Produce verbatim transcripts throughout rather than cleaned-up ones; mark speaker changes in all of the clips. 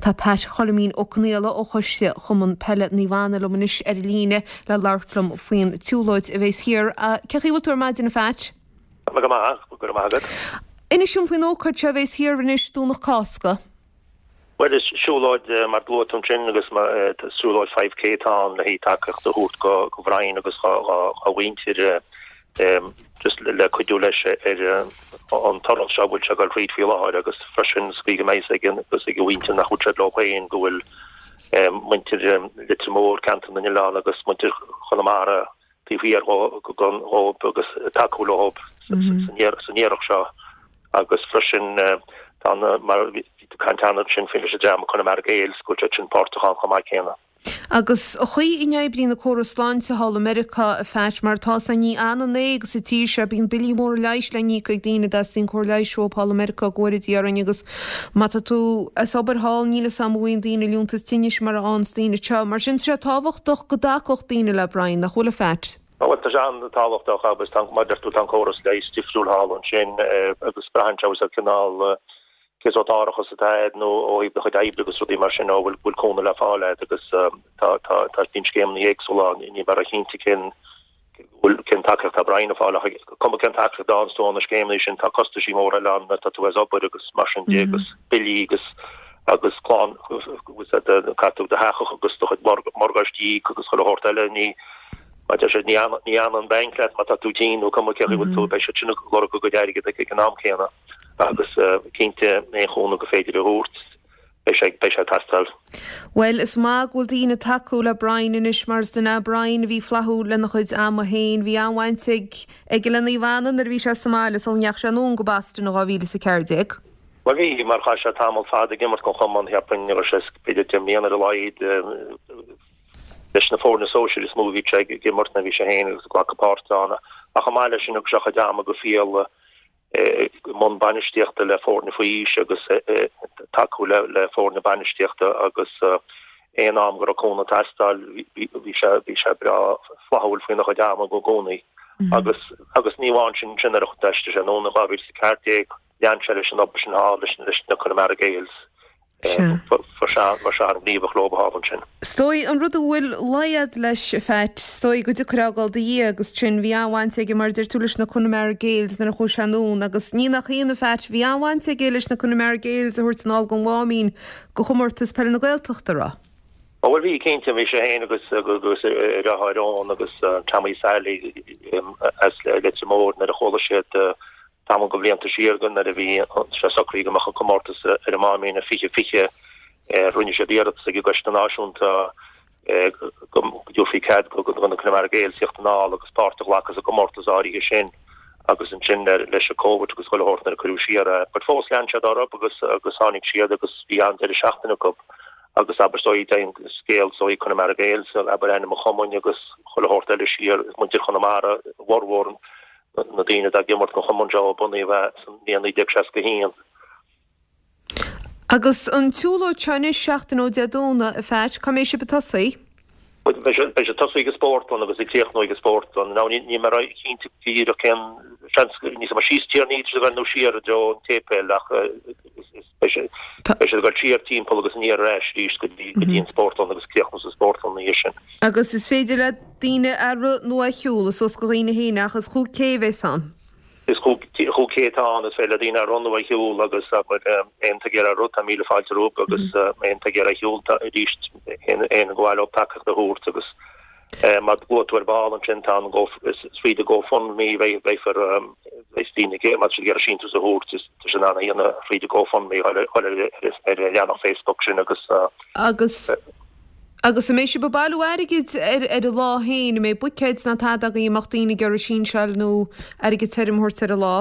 Speaker 1: Tá Pat Choilmín Ó Conaola ó Choiste Chumann Peile Naomh Anna liom anois ar líne le labhairt liom faoin tsiúlóid a bheas thiar. Cén chaoi a bhfuil tú ar maidin a Phat?
Speaker 2: Go maith, go raibh maith agat.
Speaker 1: Inis dom faoin ócáid seo a bheas thiar anois Domhnach Cásca.
Speaker 2: Well is siúlóid mar luaigh tú ansin agus siúlóid five K atá ann le haghaidh tacaíocht a thabhairt go go Bhrian agus dá mhuintir just le cuidiú leis ar an turas seo a bhfuil sé ag dul thríd faoi láthair agus freisin sa chaoi go mbeidh a fhios aige agus ag a mhuintir nach bhfuil siad leo féin go bhfuil muintir Leitir Móir, Ceantar na nOileán agus muintir Chonamara taobh thiar dhóibh agus ag tacú leo san iarracht seo agus freisin tá mar bhí tú ag caint cheana ansin faoi leis an dream Conamara Gaels go bhfuil siad sin páirteach ann chomh maith céanna.
Speaker 1: Agus an chaoi a n-oibríonn an córas sláinte thall i Meiriceá, a Phat, mar atá sé, ní fhanann é agus sa tír seo bíonn billí móra leighis le n-íoc ag daoine a dteastaíonn cóir leighis uathu thall i Meiriceá go bhfóire Dia orainn agus má tá tú as obair thall níl 'fhios a'm an bhfaigheann daoine liúntas tinnis mar a fhaigheanns daoine anseo. Mar sin tá sé tábhachtach go dtacódh daoine le Brian, nach bhfuil a Phat?
Speaker 2: Bhuel tá sé an-tábhachtach agus tá mar a deir tú tá an córas leighis difriúil thall ansin agus braitheann sé ar cineál cén sórt árachas atá agat nó ó thaobh do chuid oibre agus rudaí mar sin nó bhfuil bhfuil cúnamh le fáil agat agus tá tá tá bíonn scéimeanna éagsúla ann ní bheadh cinnte cén bhfuil cén tacaíocht atá Brian ag fáil ach cuma cén tacaíocht atá ann sna scéimeanna sin tá costaisí móra eile ann tá tú as obair agus mar sin de agus billí agus agus clann agus caithfidh tú do theach agus do chuid morgáistí a íoc agus chuile shórt eile ní mar deir siad ní ní fhanann an banc leat má tá tú tinn nó cuma cé chaoi bhfuil tú beidh siad sin ag lorg a gcuid airgid ag an am céanna. Agus cinnte aon chúnamh gur féidir a thabhairt, beidh sé, beidh sé ag teastáil.
Speaker 1: Bhuel, is maith go bhfuil daoine ag tacú le Brian anois mar is duine é Brian a bhí flaithiúil lena chuid ama féin. Bhí an-bhaint ag, aige le Naomh Anna nuair a bhí sé sa mbaile sula ndeachaigh sé anonn go Boston in dhá mhíle is a ceathair déag.
Speaker 2: Bhuel bhí, mar chaith sé tamall fada ag imirt don chumann, cheapfainn, go raibh sé b'fhéidir deich mbliana ar a laghad, leis na foirne sóisir is mó a bhí sé ag imirt nuair a bhí sé féin agus ag glacadh páirte ann. Ach chomh maith leis sin thug sé a chuid ama go fial i mbun bainistíochta le foirne faoi aois agus tacú le foirne bainistíochta agus aon am go raibh cúnamh ag teastáil bhí sé bhí sé breá flaithiúil faoina chuid ama i gcónaí. Agus agus ní amháin sin sin nuair a d'aistrigh sé anonn in dhá mhíle is a ceathair déag lean sé leis an obair sin thall leis leis na Connemara Gaels. Bhí sé an-ghníomhach leo thall ansin.
Speaker 1: Is dóigh an rud a bhfuil luí a'd leis, a Phat, is dóigh go dtiocfair a fhágáil do Dhia agus sin, bhí an-bhaint aige mar a deir tú leis na Connemara Gaels nuair a chuaigh sé anonn agus ní nach ionadh a Phat, bhí an-bhaint aige leis na Connemara Gaels a thabhairt anall gon Mháimín go chomórtas peile na Gaeltachta, raibh?
Speaker 2: Ó bhuel bhí cinnte, bhí sé féin agus agus a dheartháir Eoin agus Tommy Sally as Leitir Móir nuair a chuala siad Tamall de bhlianta siar nuair a bhí sé socraithe go mbeadh an comórtas ar an Máimín i fiche fiche, rinne siad iarratas ag an gCoiste Náisiúnta go dtabharfaí cead do na Connemara Gaels tíocht anall agus páirt a ghlacadh sa gcomórtas áirithe sin agus ansin leis an Covid agus chuile shórt nuair a cuireadh siar é. But fós lean siad orthu agus agus tháinig siad agus bhí an-deireadh seachtaine acu agus abair is dóigh téann scéal is dóigh Connemara Gaels abair ainm an chumainn agus chuile shórt eile siar muintir Chonamara a bhformhór na daoine atá ag imirt don chumann seo ó bunaíodh é sa mbliain naoi déag seasca a haon.
Speaker 1: Agus an tsiúlóid seo anois seachtain ó Dé Domhnaigh, a Phat, cá mbeidh sibh ag tosaí?
Speaker 2: Beidh sé ag tosaí ag an spórtlann agus ag críochnú ag an spórtlann. Now níl mé cinnte go díreach cén seans níos mó síos Tierney ag dul nó siar i dtreo an tséipéil ach beidh sé ag dul siar timpeall agus aniar ar ais arís go dtí an spórtlann agus críochnú sa spórtlann ina dhiaidh sin.
Speaker 1: Agus is féidir le daoine a rith nó a shiúl, is suas go dhaoine féin ach is chúig K a bheas ann.
Speaker 2: Is chúig K atá ann, is féidir le daoine a rith nó a shiúl agus abair aon té ag iarraidh rith tá míle fáilte rompu agus aon té ag iarraidh shiúl tá arís aon gur mhaith leo tacaíocht a thabhairt agus mar a luaigh tú ar ball ansin tá an go is fríd an GoFundMe beidh beifear beidh daoine ag má tá siad ag iarraidh síntiús a thabhairt is tá siad in ann a dhéanamh fríd an GoFundMe ar ar ar an leathanach Facebook sin agus
Speaker 1: Agus Agus an mbeidh sibh ag bailiú airgid ar ar an lá féin? An mbeidh buicéid ná tada agaibh a mbeadh daoine ag iarraidh sínseáil nó airgead tirim a thabhairt ar an lá?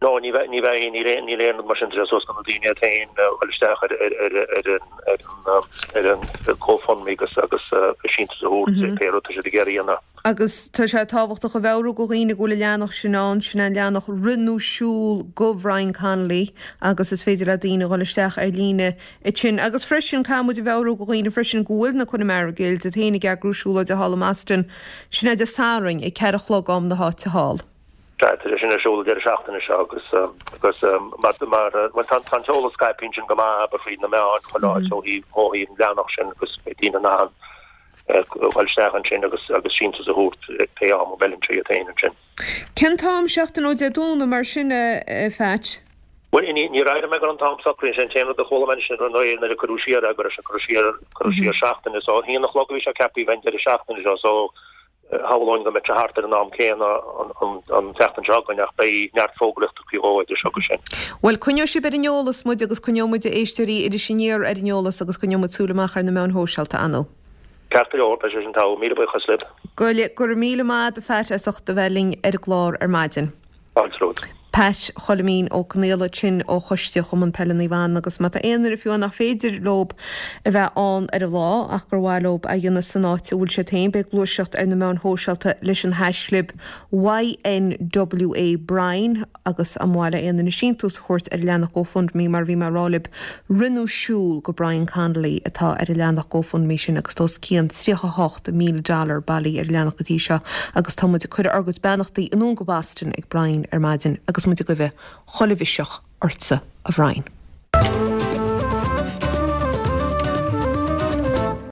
Speaker 2: No, ní bheidh, ní bheidh, níl aon, níl aon rud mar sin, tá sé suas do na daoine iad féin a dhul isteach ar, ar, ar, ar an, ar an, ar an GoFundMe agus, agus síntiús a thabhairt, pé rud tá siad ag iarraidh a dhéanamh.
Speaker 1: Agus tá sé tábhachtach a mheabhrú go dhaoine go bhfuil an leathanach sin ann, sin é an leathanach Rith nó Siúl go Bhrian Connolly agus is féidir le daoine dhul isteach ar líne ansin. Agus freisin, caithfidh muid a mheabhrú go dhaoine freisin go bhfuil na Connemara Gaels iad féin ag eagrú siúlóide thall i mBoston, sin é Dé Sathairn ag ceathair a chlog am na háite thall.
Speaker 2: Sea, tá sé sin ar siúl an deireadh seachtaine seo agus agus mar mar bhuel tá tá an t-eolas scaipthe ansin go maith abair fríd na meáin chuile áit ó thaobh ó thaobh an leathanach sin agus beidh daoine in ann dul isteach ansin agus agus síntiús a thabhairt pé am a bhfeileann sé iad féin ansin.
Speaker 1: Cén t-am seachtain ó Dé Domhnaigh mar sin a Pheait?
Speaker 2: Bhuel ní níor airigh mé go raibh an t-am socraithe sin an t-aon rud a chuala mé ansin ar ndóigh nuair a cuireadh siar é go raibh sé curtha siar curtha siar seachtain so a haon a chlog a bhí sé ceaptha a bheith an deireadh seachtaine seo so Shamhlóinn go mbeidh sé thart ar an am céanna an tseachtain seo chugainn ach beidh neart fógraíochta faoi dhó idir seo agus sin.
Speaker 1: Bhuel, coinneoidh sibh ar an eolas muid agus coinneoidh muid éisteoirí Iris Aniar ar an eolas agus coinneoidh muid súil amach ar na meáin shóisialta, ar ndóigh.
Speaker 2: Ceart go leor, beidh sé sin togha. Míle buíochas libh.
Speaker 1: Go raibh míle maith agat a Phat as ucht a bheith linn ar an gclár ar maidin.
Speaker 2: Fáilte romhat.
Speaker 1: Pat Choilimín Ó Conaola ansin ó Choiste Chumann Peile Naomh Anna agus má tá aon duine fiú nach féidir leob a bheith ann ar an lá ach gur mhaith leob a dhéanamh san áit a bhfuil siad féin, beidh gluaiseacht ar na meáin shóisialta leis an haischlib YNWA Brian agus an mhaith le aon duine síntiús a thabhairt ar an leathanach GoFundMe mar a bhí mé a rá libh rinneadh siúl go Brian Connolly atá ar an leathanach GoFundMe sin agus tá os cionn tríocha a hocht míle dollar bailithe ar an leathanach go dtí seo agus tá muid ag cur ár gcuid beannachtaí anonn go Boston ag Brian ar maidin agus muid ag guí chuile mhiseach ortsa a Bhrian.